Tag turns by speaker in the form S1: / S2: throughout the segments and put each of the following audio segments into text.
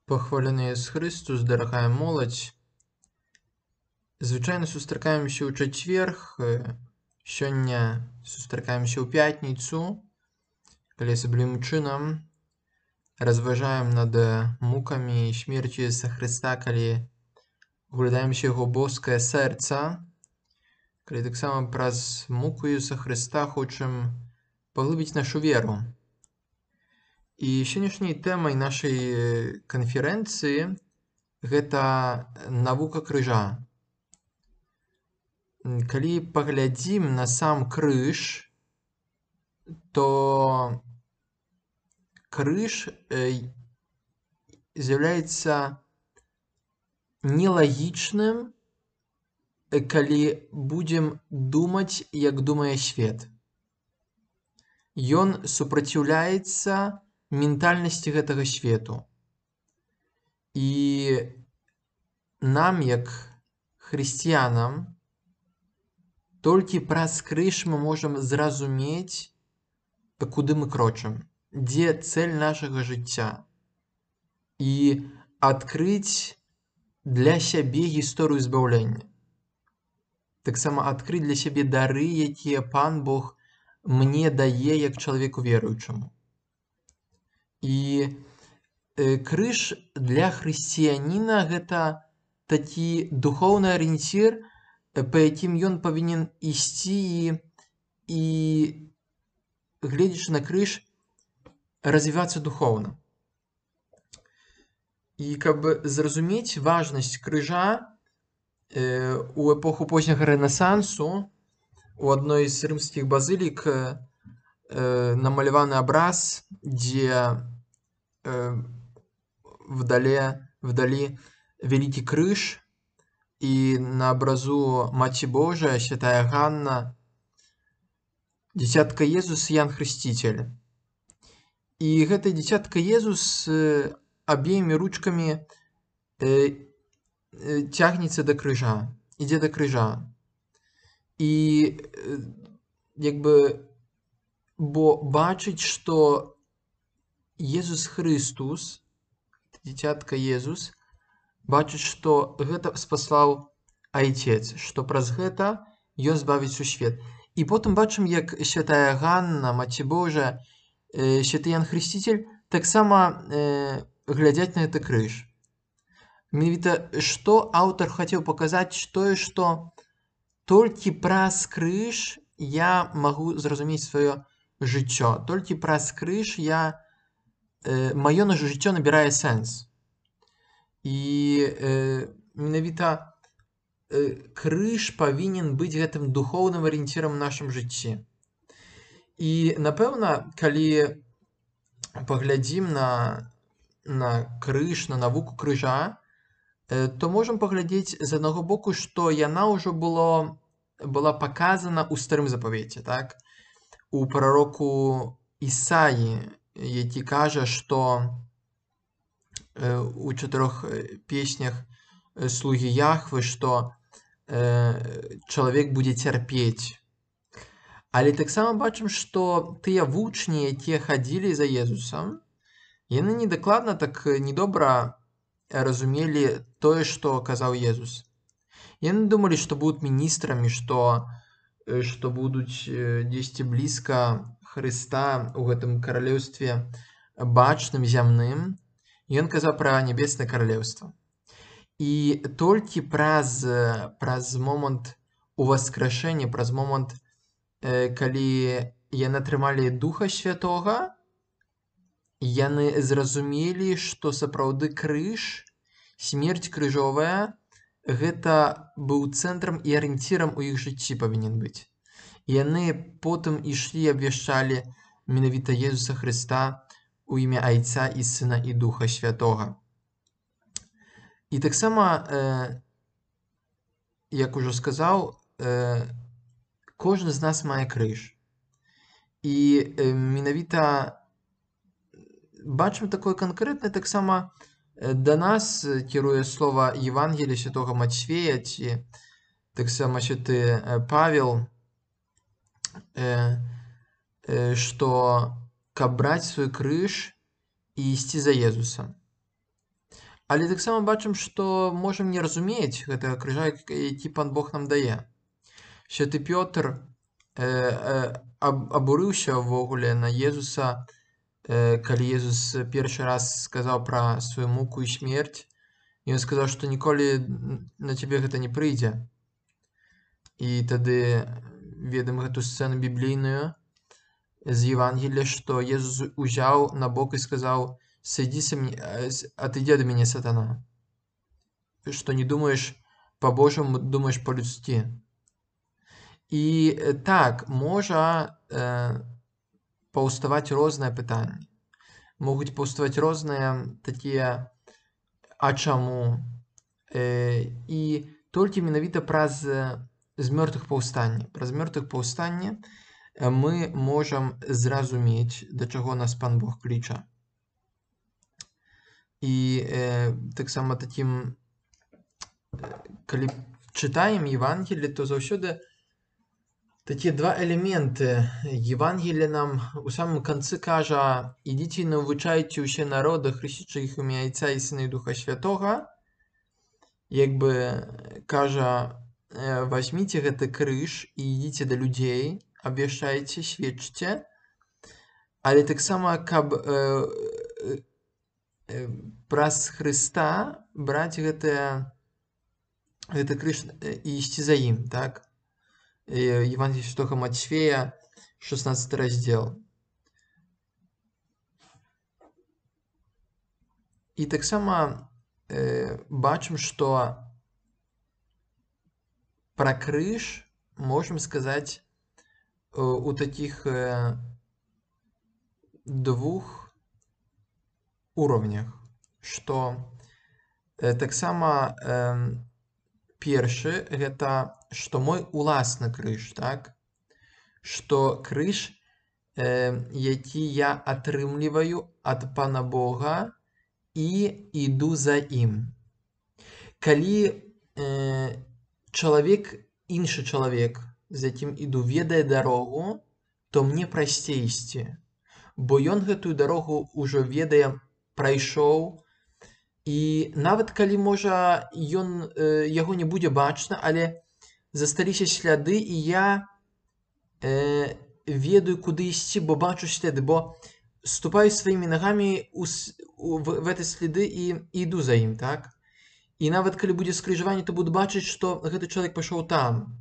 S1: Пахвалены Ісус Христос, дарагая моладзь. Звычайна сустракаемся ў чацверг, сёння сустракаемся ў пятніцу, калі асаблівым чынам разважаем над мукамі і смерцю Ісуса Хрыста, калі углядаемся яго боскае сэрца, калі таксама праз муку Ісуса Хрыста хочам паглыбіць нашу веру. І сённяшняй тэмай нашай канферэнцыі гэта навука крыжа. Калі паглядзім на сам крыж, то крыж з'яўляецца нелагічным, калі будзем думаць, як думае свет. Ён супраціўляецца ментальнасці гэтага свету. І нам, як хрысціянам, толькі праз крыж мы можам зразумець, куды мы крочым, дзе цэль нашага жыцця, і адкрыць для сябе гісторыю збаўлення. Таксама адкрыць для сябе дары, якія Пан Бог мне дае як чалавеку веруючаму. І крыж для хрысціяніна гэта такі духоўны арыенцір, па якім ён павінен ісці і гледзячы на крыж, развівацца духоўна. І каб зразумець важнасць крыжа, у эпоху позняга рэнесансу у адной з рымскіх базылік намаляваны абраз, дзе вдалі вялікі крыж, і на абразу Маці Божая, святая Ганна, дзіцятка Езус, Ян Хрысціцель. І гэта дзіцятка Езус абеімі ручкамі цягнецца да крыжа, ідзе да крыжа. І бо бачыць, што Езус Христус, дзіцятка Езус, бачыць, што гэта спаслаў Айцец, што праз гэта ён збавіць сусвет. І потым бачым, як святая Ганна, Маці Божая, святы Ян Хрысціцель таксама глядзяць на гэты крыж. Менавіта што аўтар хацеў паказаць, тое, што толькі праз крыж я магу зразумець сваё жыццё, толькі праз крыж маё жыццё набірае сэнс. І менавіта крыж павінен быць гэтым духоўным арыенцірам у нашым жыцці. І, напэўна, калі паглядзім на крыж, на навуку крыжа, то можам паглядзець з аднаго боку, што яна ўжо была паказана ў старым запавеце, так? У прароку Ісаі, які кажа, што у 4 песнях слугі Яхвы, што чалавек будзе цярпець. Але таксама бачым, што тыя вучні, якія хадзілі за Езусам, яны недакладна, так недобра разумелі тое, што казаў Езус. Яны думалі, што будуць міністрамі, што будуць дзесьці блізка Хрыста ў гэтым каралеўстве бачным, зямным. Ён казаў пра нябеснае каралеўства. І толькі праз момант уваскрашэння, праз момант, калі яны атрымалі Духа Святога, яны зразумелі, што сапраўды крыж, смерць крыжовая, гэта быў цэнтрам і арыенцірам у іх жыцці павінен быць. Яны потым ішлі і абвяшчалі менавіта Езуса Хрыста у імя Айца і Сына і Духа Святога. І таксама, як ужо сказаў, кожны з нас мае крыж. І менавіта бачым такое канкрэтнае, таксама да нас кіруе слова Евангелія святога Мацфея, ці таксама святы Павел, што каб браць свой крыж і ісці за Езусам. Але таксама бачым, што можам не разумець гэтага крыжа, які Пан Бог нам дае. Святы Пётр абурыўся ўвогуле на Езуса, калі Езус першы раз сказаў пра сваю муку і смерць. Ён сказаў, што ніколі на цябе гэта не прыйдзе. І тады ведам гэту сцэну біблійную з Євангелія, што Езус узяў на бок і сказаў: «Отойди ад мяне, сатана, што не думаеш па-божаму, думаеш па-людскі». І так, можа паўставаць розныя пытанні. Могуць паўставаць розныя такія «а чаму?». І толькі менавіта праз змёртвых паўстанне. Праз мёртвых паўстанне мы можам зразумець, да чаго нас Пан Бог кліча. І таксама такім, калі чытаем Євангеліе, то заўсёды такія два элементы. Євангеліе нам у самым канцы кажа: «Ідзіце і навучайце ўсе народы, хрысцячы іх у імя Отця і Сына і Духа Святога». Як бы кажа: «Вазьміце гэты крыж і ідзіце да людзей, абвяшчайце, сведчце». Але таксама, каб праз Хрыста браць гэты крыж і ісці за ім, так? Євангеліе Святога Матфея, 16 раздзел. І таксама бачым, што пра крыж можам сказаць у такіх двух уровнях, што таксама першы — гэта што мой уласны крыж, так? Што крыж, які я атрымліваю ад Пана Бога і іду за ім. Калі іншы чалавек, з якім іду, ведае дарогу, то мне прасцей ісці, бо ён гэтую дарогу ўжо ведае, прайшоў, і нават калі, можа, яго не будзе бачна, але засталіся сляды, і я ведаю, куды ісці, бо бачу сляды, бо ступаю сваімі нагамі в гэты сляды і іду за ім, так? І нават калі будзе скрыжаванне, то буду бачыць, што гэты чалавек пайшоў там.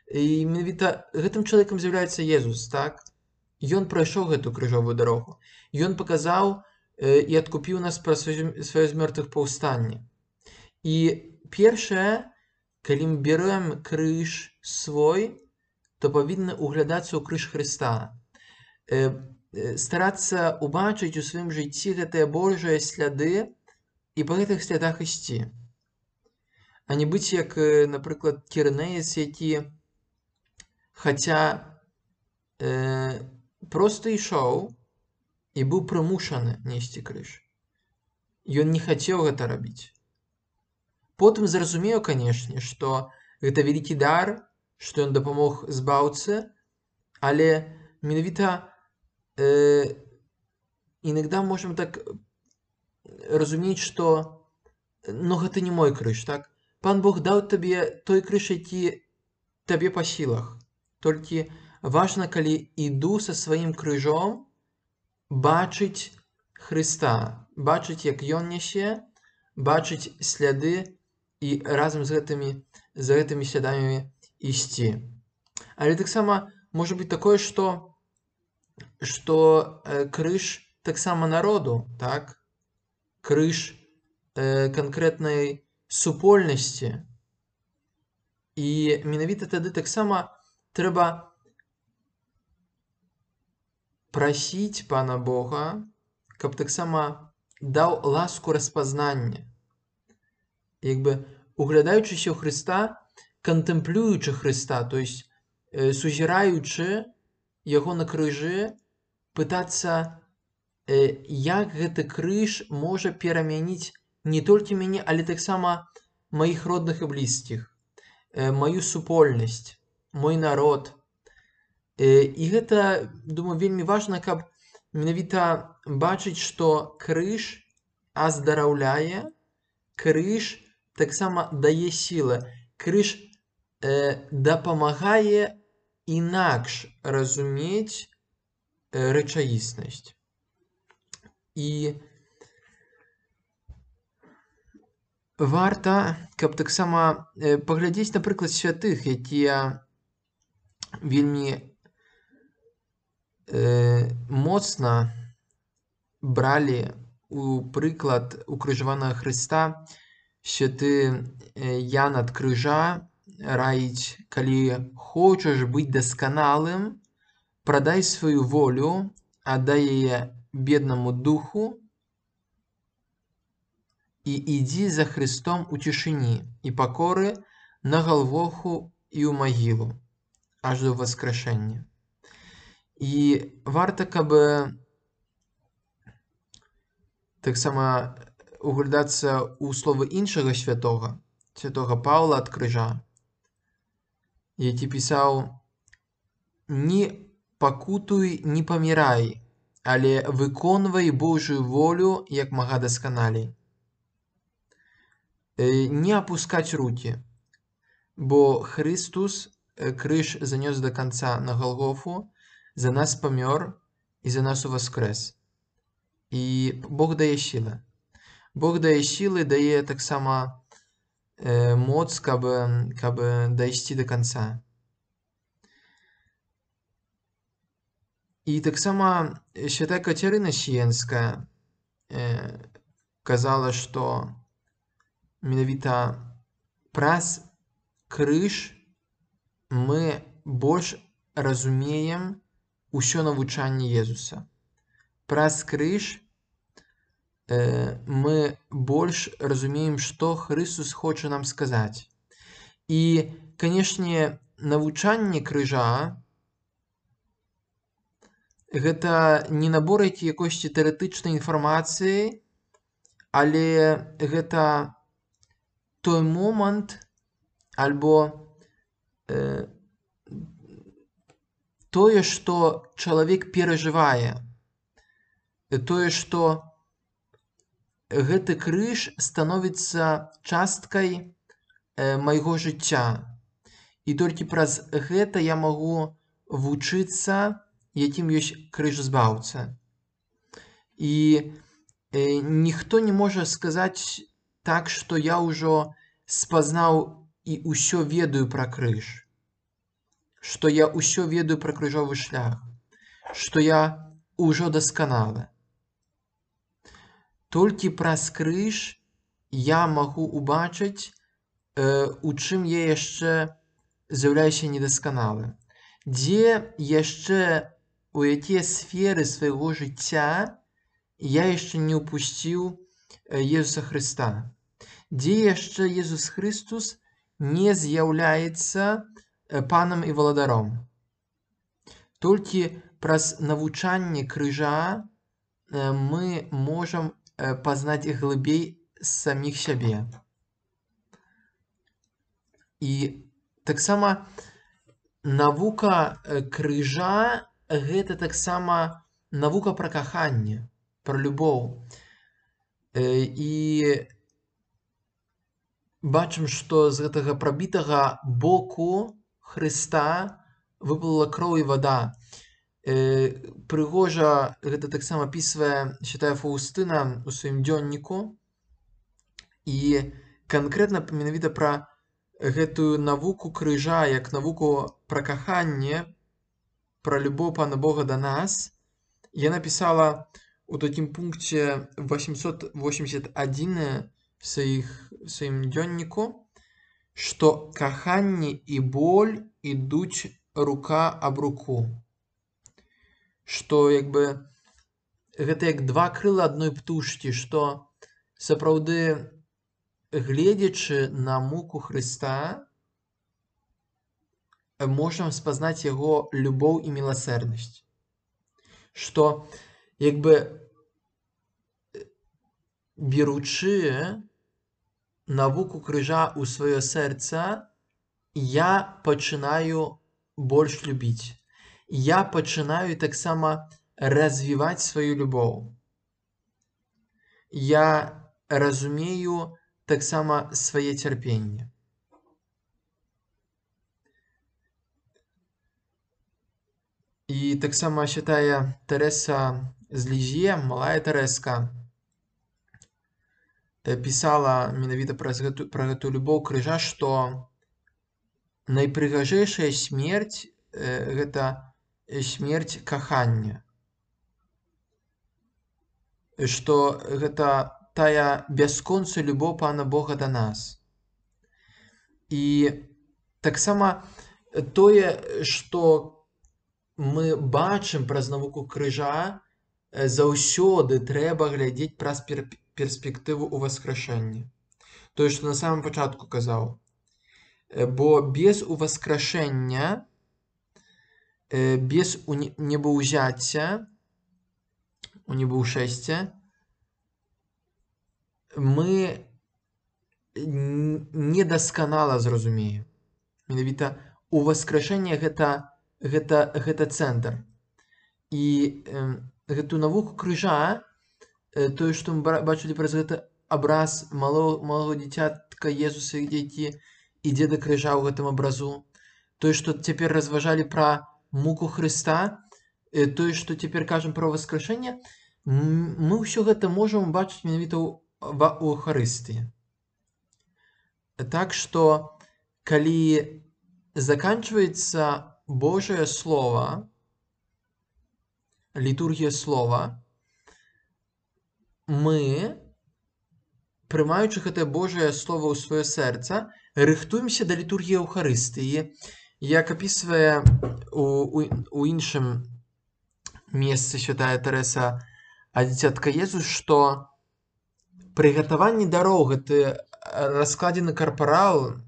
S1: І менавіта гэтым чалавекам з'яўляецца Езус, так? Ён прайшоў гэту крыжовую дарогу. Ён паказаў і адкупіў нас праз сваё з мёртвых паўстанне. І першае, калі мы берем крыж свой, то павінны углядацца ў крыж Хрыста. Старацца убачыць у сваім жыцці гэтыя Божыя сляды і па гэтых слядах ісці. А не быць як, напрыклад, Кірнеец, які, хаця проста ішоў і быў прымушаны несці крыж. Ён не хацеў гэта рабіць. Потым зразумеў, канешне, што гэта вялікі дар, што ён дапамог збаўцы, але менавіта іногда можам так разумець, што гэта не мой крыж, так? Пан Бог даў табе той крыж, які табе па сілах. Толькі важна, калі іду са сваім крыжом, бачыць Хрыста, бачыць, як ён нясе, бачыць сляды і разам з гэтымі слядамі ісці. Але таксама можа быць такое, што крыж таксама народу, так? Крыж канкрэтнай супольнасці. І менавіта тады таксама трэба прасіць Пана Бога, каб таксама даў ласку распазнання. Як бы углядаючыся ў Хрыста, кантэмплюючы Хрыста, то есть сузіраючы яго на крыжы, пытацца, як гэты крыж можа перамяніць не толькі мяне, але таксама маіх родных і блізкіх, маю супольнасць, мой народ. І гэта, думаю, вельмі важна, каб менавіта бачыць, што крыж аздараўляе, крыж таксама дае сілы. Крыж дапамагае інакш разумець рэчаіснасць. І варта, каб таксама паглядзець, напрыклад, святых, якія вельмі моцна бралі у прыклад укрыжаванага Хрыста. Святы Ян ад крыжа раіць: калі хочаш быць дасканалым, прадай сваю волю, аддай яе беднаму духу і ідзі за Христом у цішыні і пакоры на Галгофу і ў магілу, аж до воскрешення. І варта, каб таксама углядацца ў словы іншага святога, святога Паўла ад крыжа, які пісаў: «Не пакутуй, не памірай, але выконвай Божую волю як мага дасканалей». Не апускаць рукі, бо Христус крыж занёс да канца на Галгофу, за нас памёр і за нас уваскрэс. І Бог дае сілы. Бог дае сілы, дае таксама моц, каб дайсці да канца. І таксама святая Кацярына Сіенская казала, што менавіта праз крыж мы больш разумеем усё навучанне Езуса. Праз крыж мы больш разумеем, што Христус хоча нам сказаць. І, канешне, навучанне крыжа гэта не набор якойсьці тэарэтычнай інфармацыі, але гэта той момант альбо тое, што чалавек перажывае, тое, што гэты крыж становіцца часткай майго жыцця. І толькі праз гэта я магу вучыцца, якім ёсць крыж-збаўца. І ніхто не можа сказаць так, што я ўжо спазнаў і ўсё ведаю пра крыж, што я ўсё ведаю пра крыжовы шлях, што я ўжо дасканалы. Толькі праз крыж я магу ўбачыць, у чым я яшчэ з'яўляюся недасканалым, дзе яшчэ, у якія сферы свайго жыцця я яшчэ не ўпусціў Езуса Хрыста, дзе яшчэ Езус Христус не з'яўляецца панам і валадаром. Толькі праз навучанне крыжа мы можам пазнаць глыбей саміх сябе. І таксама навука крыжа гэта таксама навука пра каханне, пра любоў. І бачым, што з гэтага прабітага боку Хрыста выплыла кроў і вада. Прыгожа гэта таксама апісвае святая Фаўстына ў сваім дзённіку. І канкрэтна менавіта пра гэтую навуку крыжа, як навуку пра каханне, пра любоў Пана Бога да нас, яна пісала у такім пункце 881 в сваім дзённіку, што каханне і боль ідуць рука аб руку. Што гэта як два крыла адной птушкі, што сапраўды, гледзячы на муку Хрыста, можам спазнаць яго любоў і міласэрнасць. Што беручы навуку крыжа ў сваё сэрца, я пачынаю больш любіць. Я пачынаю таксама развіваць сваю любоў. Я разумею таксама свае цярпенне. І таксама святая Тэрэса з Лізье, малая Тэрэска, пісала менавіта пра гэтую любоў крыжа, што найпрыгажэйшая смерць гэта смерць кахання. Што гэта тая бясконцая любоў Пана Бога да нас. І таксама тое, што мы бачым праз навуку крыжа, заўсёды трэба глядзець праз перспектыву ўваскрашэння. Тое, што на самым пачатку казаў. Бо без уваскрашэння, без небаўзяцця, унебаўшэсця, мы недасканала зразумеем. Менавіта ўваскрашэнне гэта цэнтр. І гэтую навуку крыжа, тое, што мы бачылі праз гэты абраз малого дзіцятка Езуса, які ідзе да крыжа ў гэтым абразу, тое, што цяпер разважалі пра муку Хрыста, тое, што цяпер кажам пра ўваскрашэнне, мы ўсё гэта можам бачыць менавіта ў Эўхарыстыі. Так што, калі заканчваецца Божае Слова, літургія Слова, мы, прымаючы гэтае Божае Слова ў сваё сэрца, рыхтуемся да літургіі Эўхарыстыі, як апісвае у іншым месцы святая Тэрэса ад дзіцятка Езус, што прыгатаванне дароў, гэты раскладзены карпарал,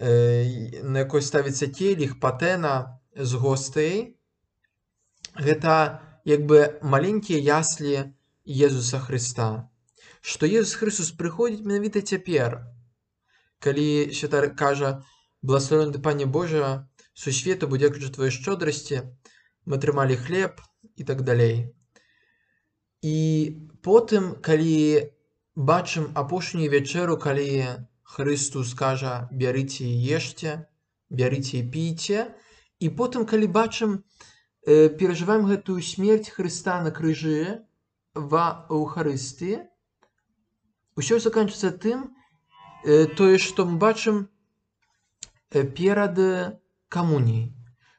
S1: на якой ставіцца келіх, патэна з гостыяй, гэта як бы маленькія яслі Езуса Хрыста. Што Езус Хрыстос прыходзіць менавіта цяпер, калі святар кажа: «Благословенны ты, Пане Божа, сусвету, бо дзякуючы твоёй шчодрасці мы атрымалі хлеб» і так далей. І потым, калі бачым апошнюю вячэру, калі Христос кажа: «Бярыце і ешце, бярыце і пійце», і потым, калі бачым, перажываем гэтую смерць Хрыста на крыжы ва Эўхарыстыі, усё заканчваецца тым, тое, што мы бачым перад камуніяй.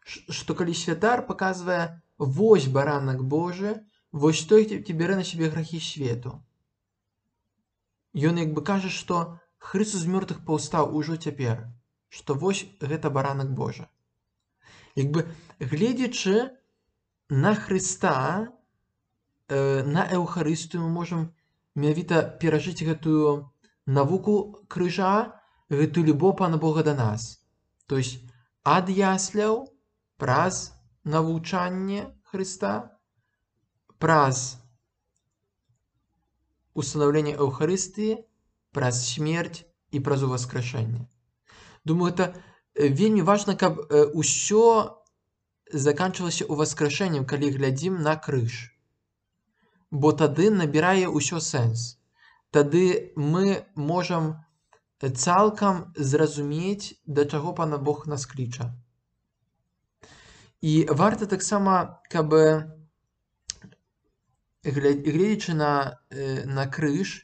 S1: Што калі святар паказвае: «Вось баранак Божы, вось той, хто бярэ на сябе грахі свету». Ён як бы кажа, што Хрыстос з мёртвых паўстаў ужо цяпер, што вось гэта баранак Божы. Як бы гледзячы на Хрыста, на Эўхарыстыю, мы можам менавіта перажыць гэтую навуку крыжа, гэтую любоў Пана Бога да нас. То есть ад ясляў праз навучанне Хрыста, праз устанаўленне Эўхарыстыі, праз смерць і праз уваскрашэнне. Думаю, гэта вельмі важна, каб усё заканчвалася ўваскрашэннем, калі глядзім на крыж. Бо тады набірае ўсё сэнс. Тады мы можам цалкам зразумець, да чаго Пан Бог нас кліча. І варта таксама, каб, гледзячы на крыж,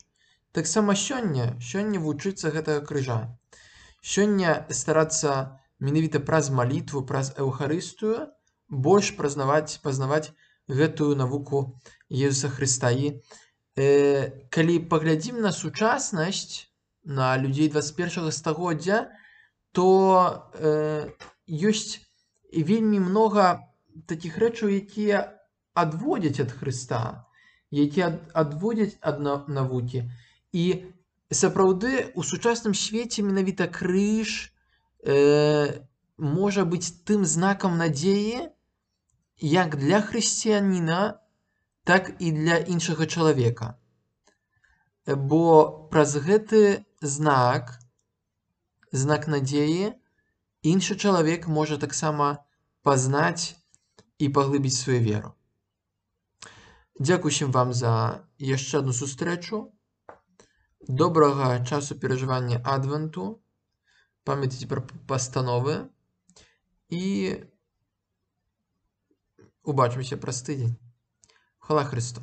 S1: таксама сёння вучыцца гэтага крыжа. Сёння старацца менавіта праз малітву, праз Эўхарыстыю больш пазнаваць гэтую навуку Езуса Хрыста. І калі паглядзім на сучаснасць, на людзей 21 стагоддзя, то ёсць вельмі многа такіх рэчаў, якія адводзяць ад Хрыста, якія адводзяць ад навукі. І сапраўды у сучасным свеце менавіта крыж можа быць тым знакам надзеі як для хрысціяніна, так і для іншага чалавека. Бо праз гэты знак надзеі, іншы чалавек можа таксама пазнаць і паглыбіць сваю веру. Дзякуй усім вам за яшчэ адну сустрэчу. Доброго часу переживання Адвенту. Пам'ятайте про постанови. І побачимося праз тиждень. Хвала Христу!